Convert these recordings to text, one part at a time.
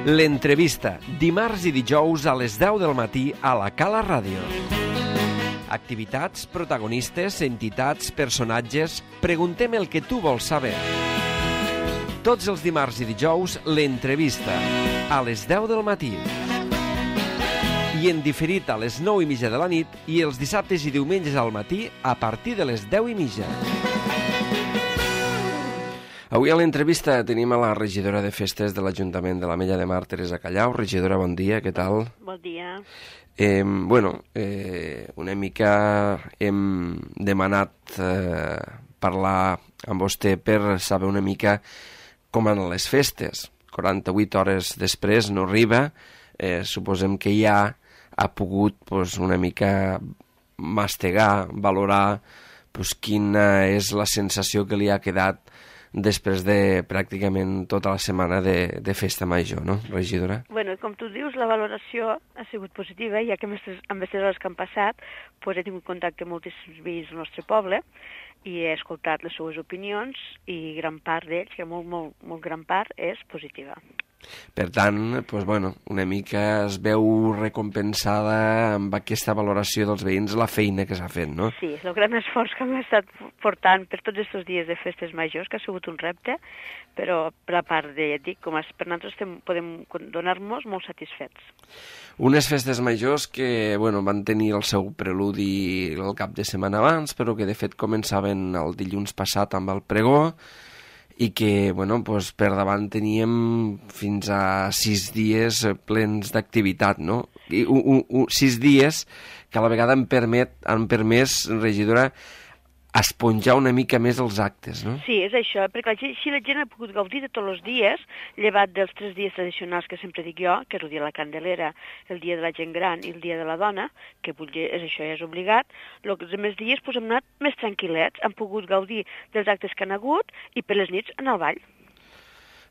L'entrevista, dimarts i dijous a les 10 del matí a la Cala Ràdio. Activitats, protagonistes, entitats, personatges... Preguntem el que tu vols saber. Tots els dimarts i dijous, l'entrevista, a les 10 del matí. I en diferit a les 9:30 de la nit i els dissabtes i diumenges al matí a partir de les 10:30. Avui a l'entrevista tenim a la regidora de festes de l'Ajuntament de l'Ametlla de Mar, Teresa Callau. Regidora, bon dia, què tal? Bon dia. Una mica hem demanat parlar amb vostè per saber una mica com van les festes. 48 hores després no arriba, suposem que ja ha pogut una mica mastegar, valorar quina és la sensació que li ha quedat després de pràcticament tota la setmana de festa major, no, regidora? Bueno, com tu dius, la valoració ha sigut positiva, ja que amb aquestes hores que han passat he tingut contacte amb moltíssims veïns del nostre poble i he escoltat les seues opinions i gran part d'ells, que molt gran part, és positiva. Per tant, una mica es veu recompensada amb aquesta valoració dels veïns la feina que s'ha fet, no? Sí, el gran esforç que hem estat portant per tots aquests dies de festes majors, que ha sigut un repte, però per la part de, per nosaltres podem donar-nos molt satisfets. Unes festes majors que van tenir el seu preludi el cap de setmana abans, però que de fet començaven el dilluns passat amb el pregó, i que per davant teníem fins a 6 dies plens d'activitat, no? I 6 dies que a la vegada han permès, regidora, esponjar una mica més els actes, no? Sí, és això, perquè així la gent ha pogut gaudir de tots els dies, llevat dels 3 dies tradicionals que sempre dic jo, que és el dia de la Candelera, el dia de la gent gran i el dia de la dona, que és això, ja és obligat. Els altres dies hem anat més tranquil·lets, han pogut gaudir dels actes que han hagut i per les nits anar al ball.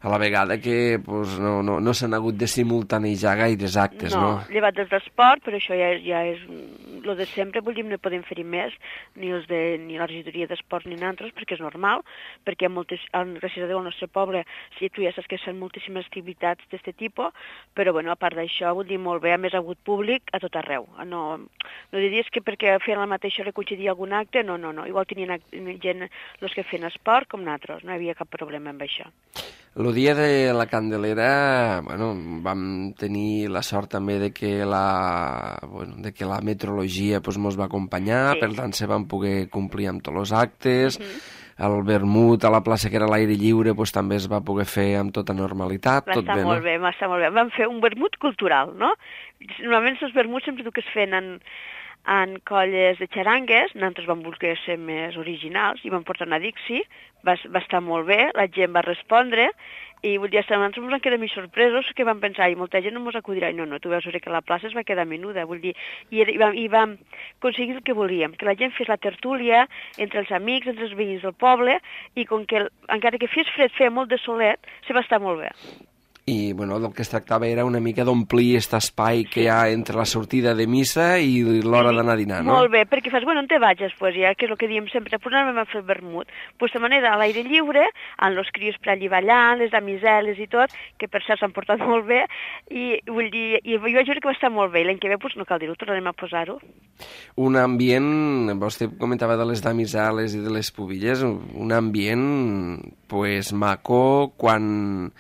A la vegada que no s'han hagut de simultanejar gaires actes, no? No, llevat dels d'esport, però això ja és el de sempre, no podem fer-hi més, ni la regidoria d'esport ni nosaltres, perquè és normal, perquè gràcies a Déu al nostre poble, si tu ja saps que són moltíssimes activitats d'aquest tipus, però a part d'això, molt bé, a més ha hagut públic a tot arreu. No diries que perquè feien la mateixa hora coincidia algun acte, no, igual tenien gent els que feien esport com nosaltres, no hi havia cap problema amb això. El dia de la Candelera, vam tenir la sort també de que la meteorologia ens va acompanyar, sí. Per tant se van poder complir amb tots els actes, el vermut a la plaça que era a l'aire lliure també es va poder fer amb tota normalitat. Va estar molt bé. Vam fer un vermut cultural, no? Normalment els vermuts sempre que es feien en colles de xarangues, nosaltres vam voler ser més originals i vam portar una Dixi, va estar molt bé, la gent va respondre i nosaltres ens vam quedar més sorpresos que vam pensar, i molta gent no ens acudirà, no, tu veus que la plaça es va quedar menuda, i vam aconseguir el que volíem, que la gent fes la tertúlia entre els amics, entre els veïns del poble, i com que encara que fes fred, feia molt de solet, se va estar molt bé. I del que es tractava era una mica d'omplir aquest espai que hi ha entre la sortida de missa i l'hora d'anar a dinar, no? Molt bé, perquè fas, on te vaig després ja, que és el que diem sempre, anem a fer el vermut. De manera, a l'aire lliure, amb els crios per allí ballant, les damiseles i tot, que per cert s'han portat molt bé, i jo vaig veure que va estar molt bé, i l'any que ve, no cal dir-ho, tornarem a posar-ho. Un ambient, vostè comentava de les damiseles i de les pubilles, un ambient, maco, quan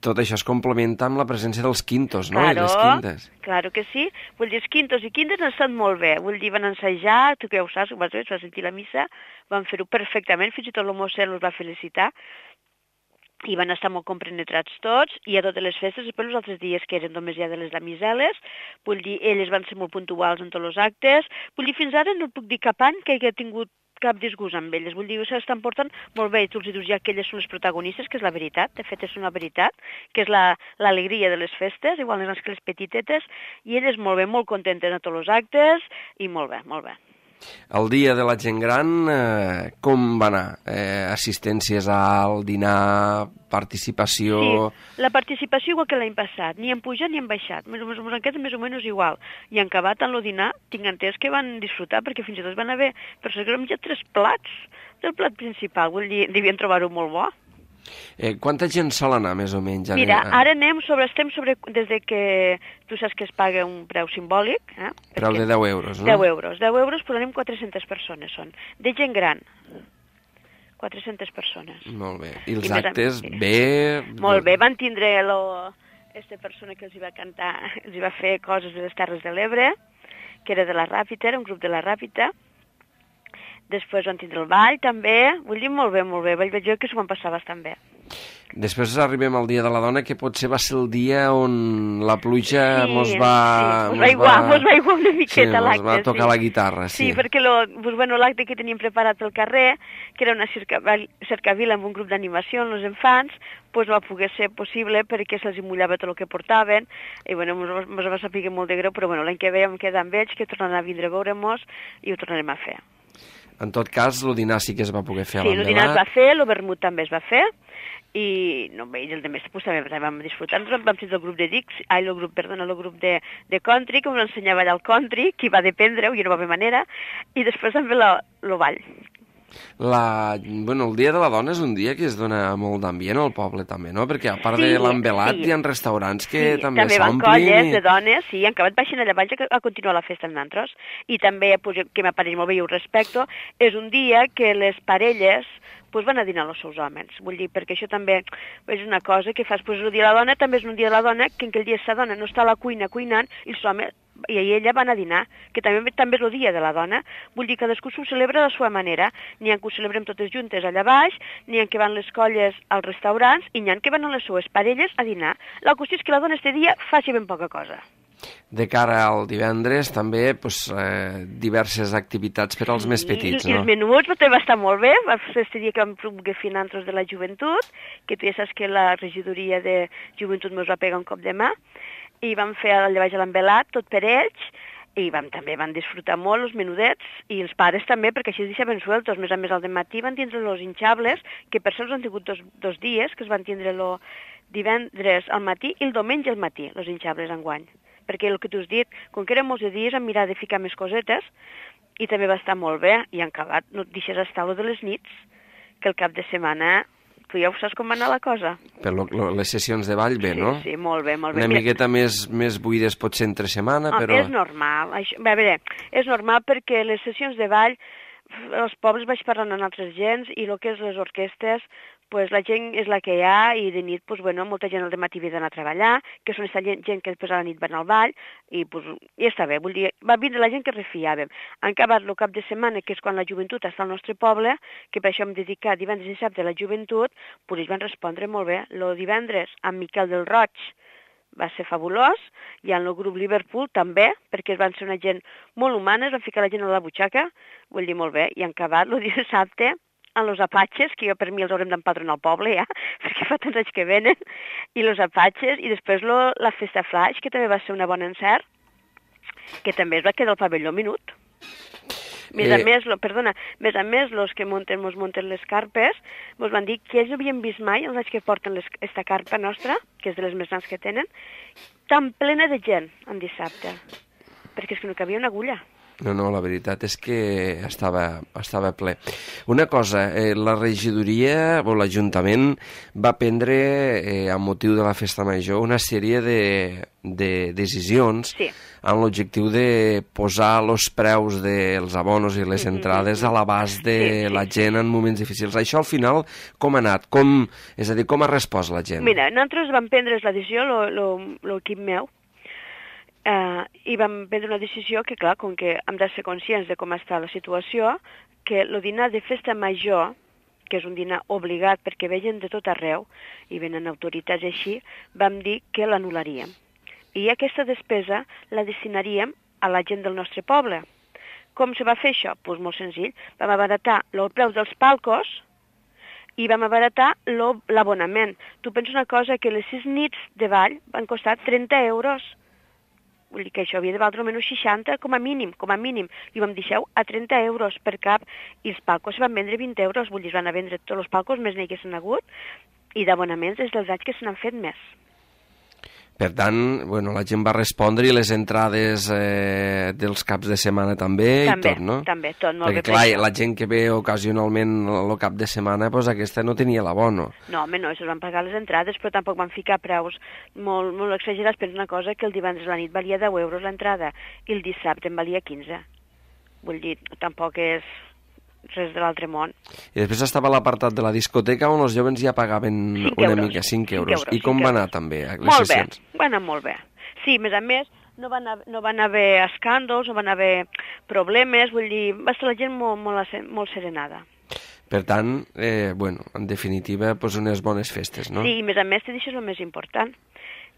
tot això es complementa amb la presència dels quintos, no? I les quintes. Claro que sí. Els quintos i quintes han estat molt bé. Van ensajar, tu que ja ho saps, vas sentir la missa, van fer-ho perfectament, fins i tot l'Homocel els va felicitar, i van estar molt compenetrats tots, i a totes les festes, després els altres dies que eren només ja de les damiseles, elles van ser molt puntuals en tots els actes, fins ara no puc dir cap any que hagi tingut cap disgust amb elles, s'estan portant molt bé, i tu els dius ja que elles són les protagonistes, que és la veritat, de fet és una veritat, que és l'alegria de les festes, igual que les petitetes, i elles molt bé, molt contentes a tots els actes, i molt bé, molt bé. El dia de la gent gran, com va anar? Assistències al dinar, participació... Sí, la participació igual que l'any passat, ni han pujat ni han baixat, més o menys igual. I en acabat en el dinar, tinc entès que van disfrutar, perquè fins i tot van haver persones que han menjat 3 plats del plat principal, vull dir, devien trobar-ho molt bo. Quanta gent sol anar, més o menys? Mira, ara estem sobre, des de que tu saps que es paga un preu simbòlic. Preu de 10 euros, no? 10 euros. 10 euros, però anem 400 persones, són. De gent gran. 400 persones. Molt bé. I els actes, bé... Molt bé, van tindre aquesta persona que els hi va cantar, els hi va fer coses de les Terres de l'Ebre, que era de la Ràpita, era un grup de la Ràpita. Després van tindre el ball, també. Vull dir, molt bé, molt bé. Vaig veure que s'ho van passar bastant bé. Després arribem al Dia de la Dona, que potser va ser el dia on la pluja mos va aiguar una miqueta l'acte. Mos va tocar la guitarra, sí. Sí, perquè l'acte que teníem preparat al carrer, que era una cercavila amb un grup d'animació amb els infants, doncs no va poder ser possible perquè se'ls mullava tot el que portaven, i mos va saber molt de greu, però l'any que ve vam quedar amb ells, que tornaran a vindre a veure-mos i ho tornarem a fer. En tot cas, el dinar sí que es va poder fer a l'Envelat. Sí, el dinar es va fer, el vermut també es va fer, i el de més també vam disfrutar. Nosaltres vam ser el grup de el grup de country, que ens ensenyava allà el country, que va dependre-ho i no va haver manera, i després també el ball. El Dia de la Dona és un dia que es dona molt d'ambient al poble també, no? Perquè a part de l'Envelat hi ha restaurants que també s'omplin. També van colles de dones, sí, han acabat baixant allà baix a continuar la festa amb nosaltres. I també, que m'apareix molt bé i ho respecto, és un dia que les parelles van a dinar els seus homes. Vull dir, perquè això també és una cosa que fas, el dia de la dona també és un dia de la dona, que en aquell dia sa dona no està a la cuina cuinant i els homes i ella van a dinar, que també és el dia de la dona. Vull dir, cadascú s'ho celebra de la seva manera. N'hi ha que ho celebrem totes juntes allà baix, n'hi ha que van les colles als restaurants i n'hi ha que van a les seues parelles a dinar. La qüestió és que la dona este dia faci ben poca cosa. De cara al divendres, també diverses activitats per als més petits, no? I els menuts també va estar molt bé. Va ser este dia que vam poder fer nosaltres de la joventut, que tu ja saps que la regidoria de joventut ens va pegar un cop de mà, i vam fer allà baix a l'Envelat, tot per ells, i també van disfrutar molt els menudets, i els pares també, perquè així es deixaven sueltos. A més al dematí van tindre els hinxables, que per cert han tingut dos dies, que es van tindre el divendres al matí i el diumenge al matí, els hinxables enguany. Perquè el que t'ho has dit, com que eren molts de dies, hem mirat de ficar més cosetes, i també va estar molt bé, i en acabat no et deixes estar de les nits, que el cap de setmana, tu ja ho saps com va anar la cosa. Per les sessions de ball, bé, no? Sí, molt bé, molt bé. Una miqueta més buides potser entre setmana, però... És normal, és normal perquè les sessions de ball, els pobles vaig parlant amb altres gens, i el que és les orquestes, la gent és la que hi ha, i de nit, molta gent al dematí havia d'anar a treballar, que són aquesta gent que després a la nit van al ball, i està bé, vull dir, va vindre la gent que refiàvem. Han acabat el cap de setmana, que és quan la joventut està al nostre poble, que per això hem dedicat divendres i dissabte a la joventut, ells van respondre molt bé. El divendres, amb Miquel del Roig, va ser fabulós, i en el grup Liverpool també, perquè van ser una gent molt humana, van ficar la gent a la butxaca, vull dir, molt bé, i han acabat el dissabte, amb els apatxes, que per mi els haurem d'empadronar al poble ja, perquè fa tants anys que venen, i els apatxes, i després la festa flash, que també va ser una bona encert, que també es va quedar al pavelló minut. Més a més, els que mos munten les carpes, ens van dir que ells no havien vist mai, els anys que porten aquesta carpa nostra, que és de les més grans que tenen, tan plena de gent en dissabte, perquè és que no cabia una agulla. No, la veritat és que estava ple. Una cosa, la regidoria o l'Ajuntament va prendre, amb motiu de la Festa Major, una sèrie de decisions amb l'objectiu de posar els preus dels abonos i les entrades a l'abast de la gent en moments difícils. Això al final com ha anat? És a dir, com ha respost la gent? Mira, nosaltres vam prendre la decisió, l'equip meu, i vam prendre una decisió que, clar, com que hem de ser conscients de com està la situació, que el dinar de festa major, que és un dinar obligat perquè vegen de tot arreu, i venen autoritats així, vam dir que l'anul·laríem. I aquesta despesa la destinaríem a la gent del nostre poble. Com se va fer això? Doncs molt senzill. Vam abaratar el preu dels palcos i vam abaratar l'abonament. Tu pensa una cosa, que les 6 nits de ball van costar 30 euros. Vull dir que això havia de valdre almenys 60, com a mínim, i vam deixar a 30 euros per cap, i els palcos van vendre 20 euros, vull dir, es van a vendre tots els palcos més n'hi que s'han hagut, i d'abonaments des dels anys que se n'han fet més. Per tant, bueno, la gent va respondre i les entrades dels caps de setmana també i tot, no? També, tot, molt bé. Perquè, clar, la gent que ve ocasionalment el cap de setmana, doncs aquesta no tenia l'abono. No, home, no, es van pagar les entrades, però tampoc van ficar preus molt exagerats. Pensa una cosa, que el divendres a la nit valia 10 euros l'entrada i el dissabte en valia 15. Vull dir, tampoc és res de l'altre món. I després estava l'apartat de la discoteca on els jovens ja pagaven una mica, 5 euros. I com va anar també les sessions? Molt bé, va anar molt bé. Sí, a més, no van haver escàndols, no van haver problemes, vull dir, va estar la gent molt serenada. Per tant, bueno, en definitiva, doncs unes bones festes, no? Sí, i a més, això és el més important,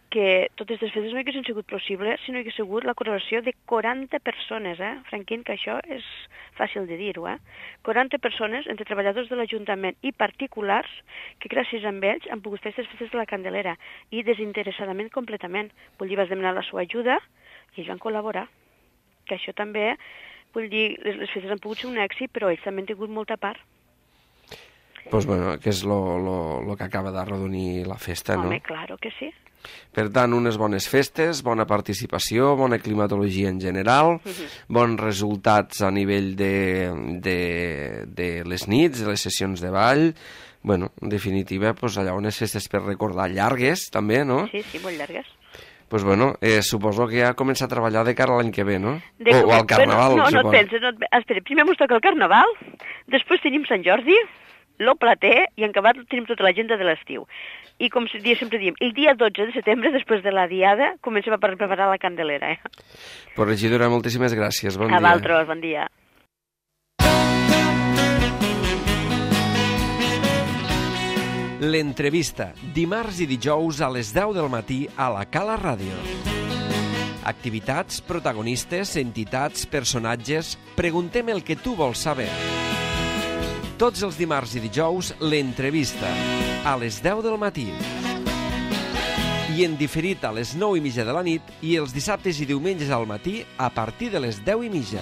que totes les festes no haguessin sigut possible si no hagués sigut la col·laboració de 40 persones, Franquín, que això és fàcil de dir-ho, 40 persones, entre treballadors de l'Ajuntament i particulars, que gràcies a ells han pogut fer aquestes festes de la Candelera, i desinteressadament completament. Vull dir, vas demanar la seva ajuda i ells van col·laborar. Que això també, vull dir, les festes han pogut ser un èxit, però ells també han tingut molta part. Doncs, bueno, que és el que acaba d'arrodonir la festa, no? Home, claro que sí. Per tant, unes bones festes, bona participació, bona climatologia en general, bons resultats a nivell de les nits, de les sessions de ball. Bueno, en definitiva, doncs allà unes festes per recordar llargues, també, no? Sí, molt llargues. Doncs bueno, suposo que ja comença a treballar de cara a l'any que ve, no? O al Carnaval, no, no et penses, espera, primer mos toca el Carnaval, després tenim Sant Jordi, lo Plater, i en acabat tenim tota l'agenda de l'estiu. I com sempre diem, el dia 12 de setembre, després de la diada, comencem a preparar la Candelera. Pues, regidora, moltíssimes gràcies. Bon dia. A vosaltres, bon dia. L'entrevista, dimarts i dijous a les 10 del matí a la Cala Ràdio. Activitats, protagonistes, entitats, personatges... Preguntem el que tu vols saber. Tots els dimarts i dijous, l'entrevista, a les 10 del matí. I en diferit a les 9:30 de la nit i els dissabtes i diumenges al matí a partir de les 10:30.